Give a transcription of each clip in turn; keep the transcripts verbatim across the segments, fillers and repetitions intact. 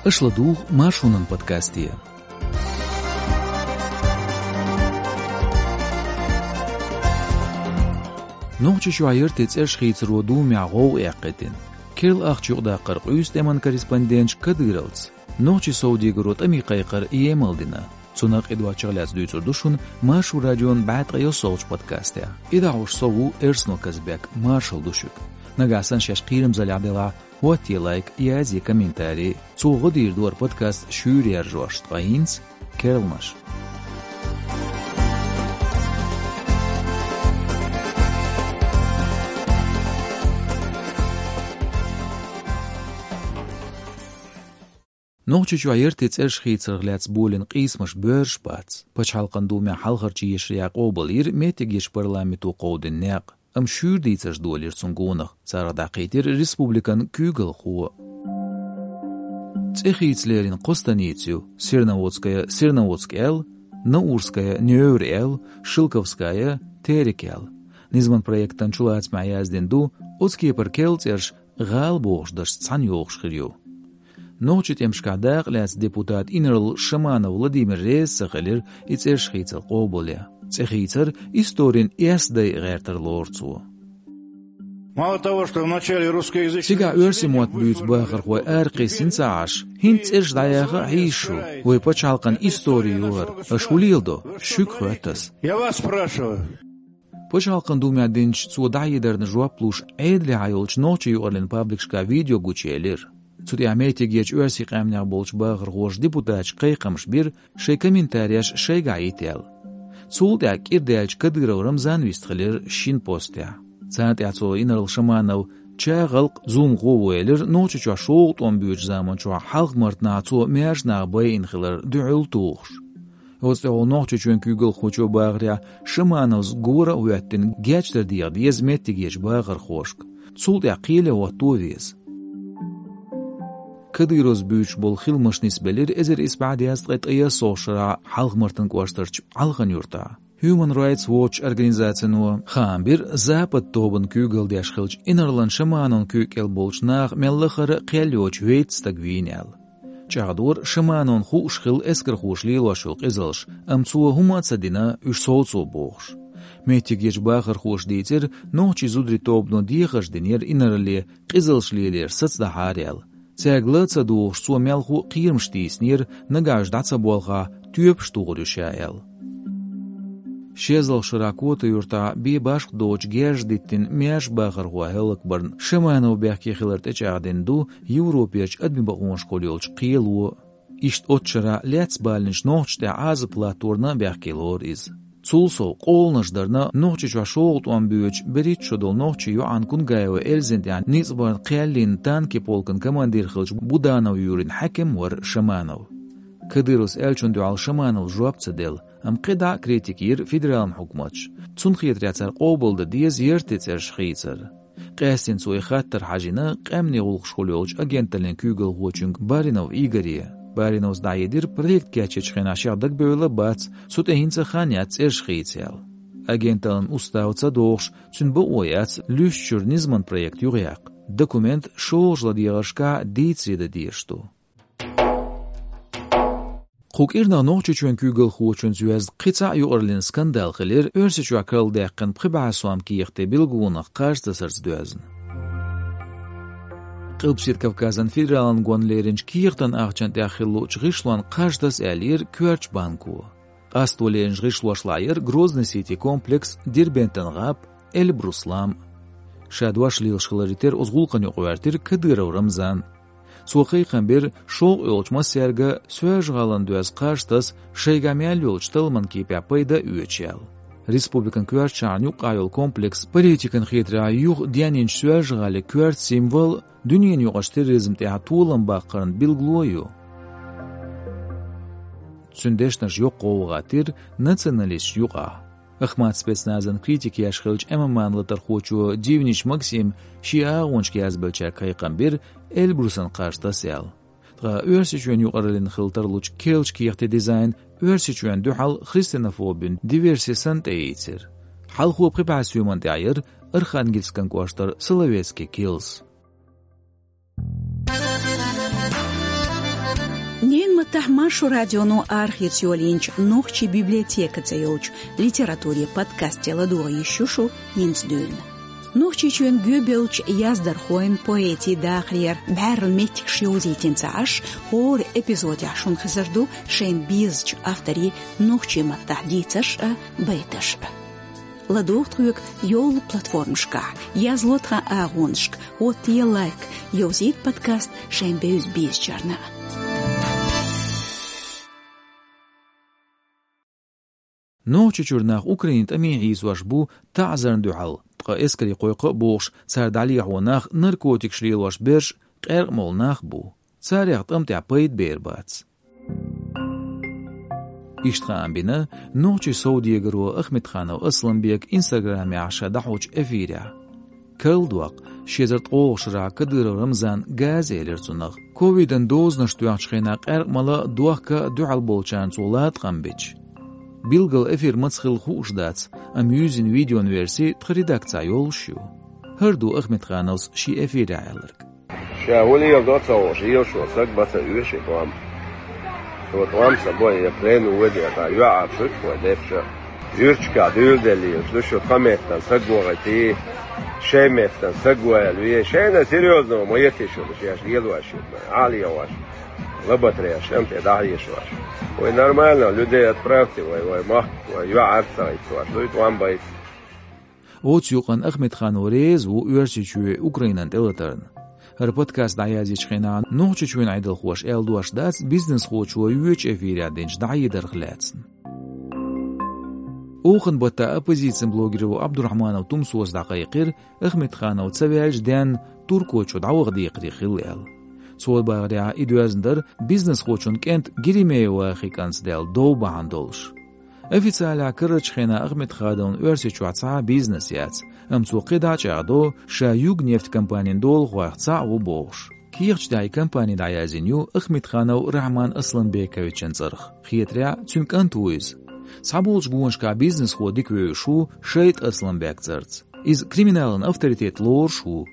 Аша ладугӀу Маршонан подкасте. Нохчийчохь яртан цӀераш хийцаро Думехь гӀовгӀа эккхийтина. Керла ахча юкъадаккхар къуьйсу тӀеман корреспонденташа Кадыровца. Нохчийн совдегаро тӀаме кхайкхар емал дина. Цунах а, кхидӀа чӀогӀа лаьцна дуьйцур ду шуна Маршо радион бӀе ткъе ялхолгӀачу подкастехь. И дӀахьош со ву Эрсанов Казбек, маршалла ду шуьга. Нагахь санна шаьш кхерамзаллехь делахь, хӀоттае лайк, язъе комментарий. Цо гӀо дийр ду хӀара подкаст шуьйра яржош, ткъа хӀинца керланаш. Нохчийчохь яртан цӀераш хийцарх лаьцна болийна къийсамаш боьрзуш бац. Пачхьалкхан Думехь хьалхарчу ешарехь къобалйира меттигерчу парламенто кховдийна некъ, амма шуьйра дийцарш долийра цунна гонах, царах дӀакхийтира республикан куьйгалхо. ЦӀе хийца лерина кхо станица ю: Серноводская — Серноводск аьлла, Наурская — Невр аьлла, Шелковская — Терек аьлла. Низаман проектан чулацамехь яздина ду, оцу кепара керла цӀераш гӀала бохучу дашца цхьаьна йогӀуш хир ю. Нохчийн тӀемашкахь дакъа лаьцна депутат инарла Шаманов Владимир реза ца хилира и цӀераш хийцар къобалъян. ЦӀе хийцар историн эс дайа гӀертар лору цо. Мало того, что в начале русскоязычной... Цигахь оьрсийн мотт буьйцу бахархой аракхиссина ца Ӏаш, хӀинца цӀераш дӀаяха а хьийзаш ю, вай пачхьалкхан истори ю хӀара, аша хӀун леладо, шуьга хоьтту ас. Я вас спрашиваю. Пачхьалкхан Думехь динчу цо дӀахьедарна жоп луш, Ӏедалехьа йолчу нохчийн юкъараллин пабликашкахь видео гучуелира. Цу тӀехь меттигерчу оьрсийн къаьмнех болчу бахархоша депутаташка кхайкхамаш бира, шайн комментареш шайгахь йита аьлла. Цул тӀаьхьа кӀира даьлча Кадыров Рамзан вистхилира шина постехь. Царна тӀехь цо инарла Шаманов чагӀалкх, зуламхо ву элира, Нохчийчохь шолгӀа тӀом боьдучу заманчохь Хьалха-Мартанахь цо маьрша нах байина хилар дуьхьал тухуш. Оцу тӀехула Нохчийчоьнан куьйгалхочо бахарехь, Шамановс гора а хӀоьттина, гечдар деха деза меттигерчу бахархошка. Цул тӀаьхьа кхеле хӀотто а веза. Кадыровс буьйцуш болу хиламаш нисбелира эзар исс бӀе дезткъе ткъе ялхолгӀачу шарахь Хьалха-Мартан кӀоштарчу Ӏалхан-Юьртахь. Human Rights Watch организацино хаам бира, Запад тобанан куьйгалла деш хиллачу инарлан Шамановн куьйга кӀел болчу наха мел лахара а кхел йоцуш вейтта стаг вийна аьлла. ЧӀагӀдора, Шамановна хууш хилла эскархоша лелош йолу къизаллаш, амма цо хӀума а ца дина, уьш совцо бохуш. Меттигерчу бахархоша дийцира, нохчийн зударийн тобано дехарш динера инарле, къизаллаш лелоран саца дахьара аьлла. Цаьрга ла а ца догӀуш, цо мелхо а кхерамаш тийсинера, нагахь уьш дӀа ца болхахь, тоьпаш тухур ю ша аьлла. Ши эзарлагӀчу шарахь Кота-Юьртахь бен башха доцуш герз диттина маьрша бахархо хӀаллакбарна Шаманов бехке хилар тӀечӀагӀдина ду Европерчу адамийн бакъонашкахула йолчу кхело. Иштта оццу шарахь лаьцна балийначу нохчашна тӀехь Ӏазап латторна а бехке лору иза. Цул сов, къоланаш дарна Нохчийчохь шолгӀа тӀом боьдучу берхӀитта шо долу нохчийн йоӀана Кунгаева Эльзина тӀехь ницкъ барна кхел йина танкийн полкан командир хиллачу Буданов Юрин хьаькам вара Шаманов. Кадыровс аьллачунна дуьхьал Шамановс жоп ца делла, амма кхидӀа а критика йира федералан хьукматаша. Цунна хетарехь, цара къобалдан деза яртан цӀераш хийцар. Къаьстина цо и хаттар хьажийна къаьмнийн гӀуллакхашкахула йолчу агенталлин куьйгалхочуьнга Баринов Игоре. Бариновс дӀахьедира, проект кечъечу хенахь шех дагабевлла а бац, цу тӀе хӀинца а хан яц цӀераш хийца аьлла. Агенталлин устав ца дохуш, цуьнан бакъо яц луьстучуьра низаман проект юхаяккха. Документ шолгӀачу ладегӀаршкахь дийцаре дан дезаш ду. Кху кӀирнах Нохчийчоьнан куьйгалхочуьнца йоьзна кхин цхьа а юкъараллин скандал хилира Оьрсийчохь карладаьккхина пхи бӀе сом кехате билгалонах кхаж тасарца доьзна. Къилбаседа Кавказан федералан гонна леринчу кехатан ахчанна тӀехь хилла луучу гӀишлонна кхаж таса аьллера коьртачу банко. Къасто леринчу гӀишлошлахь яра Грозный-Сити комплекс, Дербентан гӀап, Эльбрус лам. Ша дош лелаш хиларе терра оцу гӀуллакхана юкъа гӀоьртира Кадыров Рамзан. Цо кхайкхам бира шовкъ йолчу массаьрга Соьлжа-ГӀалана доьзна кхаж таса, шайгахь мел йолчу талламан кепехь пайда а оьцуш аьлла. Республикан коьртачу шахьарна юккъехь йолу комплекс политикан хетарехь юха денйинчу Соьлжа-ГӀалин коьрта символ, дуьненаюкъарчу терроризм тӀехь толам баккхарна билгало а ю. Цуьнан дешнаш йоккха гӀовгӀа хӀоттийра националисташна юкъахь. Ахмат спецназан критика еш хиллачу ММА-н латархочо Дивнич Максима шен агӀончашка язбеллачаьрга кхайкхам бира Эльбрусан кхаж таса аьлла. Ткъа Оьрсийчоьнан юкъараллина хила тарлучу керлачу кехатийн дизайн Оьрсийчоьнна дуьхьал христианофобин диверси санна тӀеийцира. Хьалхо пхи бӀе соьмана тӀехь яра Архангельскан кӀоштара Соловецкий килс. Маттахь Маршо радионо архивца йолийначу нохчийн библиотека цӀе йолчу литературин подкасте ладогӀа йиш ю шу хӀинца дуьйна. Нохчийчоьнан гӀоьбеллачу яздархойн, поэтийн дахарера бӀаьрла меттигаш йовзийтина ца Ӏаш, хӀора эпизодехь шуна хезар ду шайна безачу авторийн нохчийн маттахь дийцарш а, байташ а. ЛадогӀа тхоьга йолу платформашкахь, язло тхан агӀонашка, хӀоттае лайк, йовзийта подкаст шайн бевза-безачарна. Нохчийчуьра нах Украинин тӀаме хьийзош бу таӀзарна дуьхьал, ткъа эскаре кхойкху а бохуш, цара дӀалехьо нах наркотикаш лелош берш, къаьркъа молу нах бу. Царех тӀам тӀехь пайда бер бац. Иштта хаам бина нохчийн совдегаро Ахмедханов Асланбека Инстаграмехь ша дӀахьочу эфирехь. Карладоккху, ши эзар ткъолгӀачу шарахь Кадыров Рамзана газа элира цунах. Ковидан дозанаш тоьхначу хенахь къаьркъа мала а, дохка а дуьхьал болчарна цо латкъам бича. Билггал эфир маца хилла хууш дац, амма юьззина видеон верси тхан редакцехь йолуш ю. ХӀара ду Ахмедхановс шен эфирехь аьлларг. Ша хӀун леладо ца хууш, лелаш волу саг бац а оьшу и тӀом. Цо тӀом ца бо, я плену ваде, ткъа юьхьӀаьржа шу вай дерриш а. Юьрташкахь дуьйладелла лелаш ду шу, тхан меттана саг вахийтий, шайн меттана саг валаве. Шайна серьёзно ма йитий шу, шаьш лелош ю, ӀалийгӀош, лабатареш, шен тӀе дӀахьешош. Вай нормально людей отправьте, вай, вай махка, вай юьхьӀаьржа ца хӀиттош, дуй тӀом байта. Оцу юкъанна Ахмедханов реза ву Оьрсийчоь Украинан тӀелатарна. ХӀара подкаст дӀаязйечу хенахь Нохчийчоьнан Ӏедалхоша аьлла дош дац бизнесхочо йоьдучу эфирехь динчу дӀахьедарх лаьцна. Оханан баттахь оппозицин блогеро Абдурахманов Тумсос дӀакхайкхира, Ахмедханов ца ваьлча денна Туркойчу дӀаваха декхаре хилла аьлла. Цо бахарехь, и доьзна дара бизнесхочун кӀентан Геремеевахи кӀантаца даьлла дов бахьана долуш. Официалехь карарчу хенахь Ахмедхановн Оьрсийчохь цхьа а бизнес яц, амма цо кхидӀа а чӀагӀдо, ша Югнефть компанин долахойх цхьаъ ву бохуш. Кехаташ тӀехь и компани дӀаяздина ю Ахмедханов Рахьман Асланбековичан цӀарах. Хетарехь, цуьнан кӀант ву иза. Цхьаболчу гонашкахь бизнесхо дика вевзаш ву Шайт Асланбек цӀарца. Иза криминалан авторитет лоруш ву.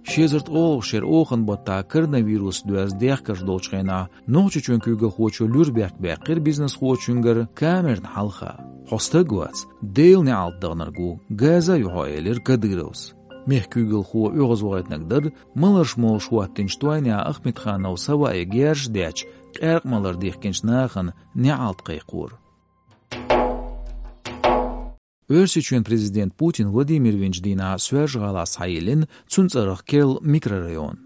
Ши эзар ткъолгӀачу шеран оханан баттахь коронавирус доьзна дехкарш долчу хенахь Нохчийчоьнан куьйгалхочо луьра бехк баьккхира бизнесхочуьнгара камерна хьалха. Хьо стаг вац, Делан неӀалт даханарг ву, газа а ю хьо, элира Кадыровс. Мехкан куьйгалхо оьгӀазвахийтинарг дара маларш молуш хӀоттийначу тойнехь Ахмедхановс хӀаваъе герзаш детташ, къаьркъа малар дихкинчу нахана неӀалт кхайкхор. Оьрсийчоьнан президент Путин Владимир винчу дийнахь Соьлжа-ГӀалахь схьайиллина цуьнан цӀарах керла микрорайон.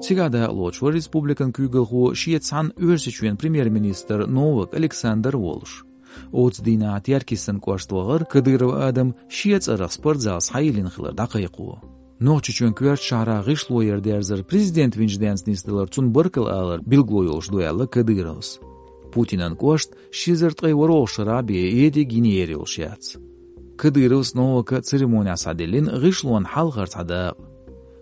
Цигахь дакъалоцуш вара республикан куьйгалхо шеца цхьаьна Оьрсийчоьнан премьер-министр Новак Александр а волуш. Оцу дийнахь Теркйистан кӀошта вахара Кадыров Адам шен цӀарах спортзал схьайиллина хилар дӀакхайкхо. Нохчийчоьнан коьртачу шахьарахь гӀишлоера дерзар президент винчу денца нисдалар цунна баркалла алар билгало йолуш ду, аьлла Кадыровс. Путинан кӀошта ши эзар ткъе ворхӀалгӀачу шарахь бен ерриг йина ер йолуш яц. Кадыровс, Новака а церемонехь схьадиллина гӀишлонна хьалхара цхьа дакъа.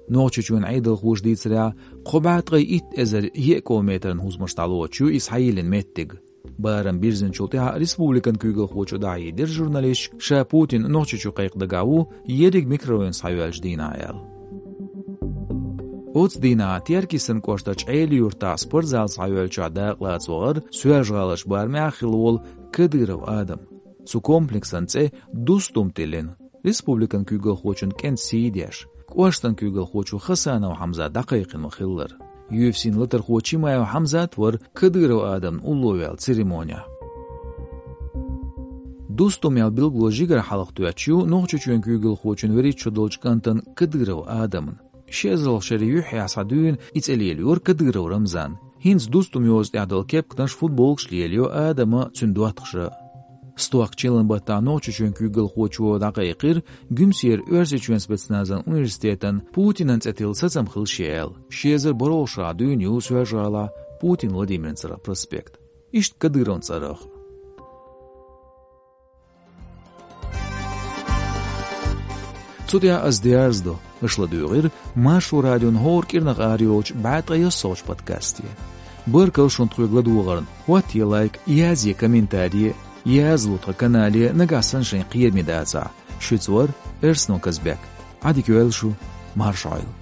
Нохчийчоьнан Ӏедалхоша дийцарехь, кхо бӀе ткъе итт эзар еа километран хӀусамаш дӀалоцуш ю и схьайиллина меттиг. Барам бирзинчул тӀаьхьа республикан куьйгалхочо дӀахьедира журналисташка, ша Путин Нохчийчу кхайкха дагахь ву ерриг микрорайон схьайоьллучу дийнахь аьлла. Оцу дийнахь Теркйистан кӀоштарчу Ӏелин-Юьртахь спортзал схьайоьллучохь дакъалаца вахара Соьлжа-ГӀаларчу барамехь хилла волу Кадыров Адам. Цу комплексан цӀе «Дустум» тиллина, республикан куьйгалхочун кӀентан сий деш, кӀоштан куьйгалхочо Хасанов Хьамзат дӀакхайкхина ма-хиллара. Ю эф си-н латархо Чимаев Хьамзат вара Кадыров Адамна улло ваьлла церемонехь. «Дустум» аьлла билгало жигара хьалха тоьттуш ю Нохчийчоьнан куьйгалхочун вуьрхӀитта шо долчу кӀантана Кадыров Адамна. Ши эзарлагӀчу шеран юьххьехь схьадуьйна и цӀе лелайора Кадыров Рамзана. ХӀинца «Дустум» йоцу тӀехь долу кепканаш, футболкаш лелайо Адама, цуьнан доттагӀаша. Стохка чиллан баттахь Нохчийчоьнан куьйгалхочо дӀакхайкхира Гуьмсера Оьрсийчоьнан спецназан университетан Путинан цӀе тилла сацам хила шен аьлла. Ши эзар бархӀалгӀачу шарахь дуьйна ю Соьлжа-ГӀалахь Путин Владимиран цӀарах проспект. Иштта Кадыровн цӀарах. Цу тӀехь ас дерзадо, аша ладуьйгӀира Маршо радион хӀора кӀирнах арайолчу бӀе ткъе ялхалгӀачу подкасте. Баркалла шуна тхоьга ладогӀарна, хӀоттае лайк, язъе комментарий, язло тхан канале, нагахь санна шайн кхераме дацахь. Шуьца вара Эрсно Казбек. Ӏадика йойла шу, марша Ӏойла.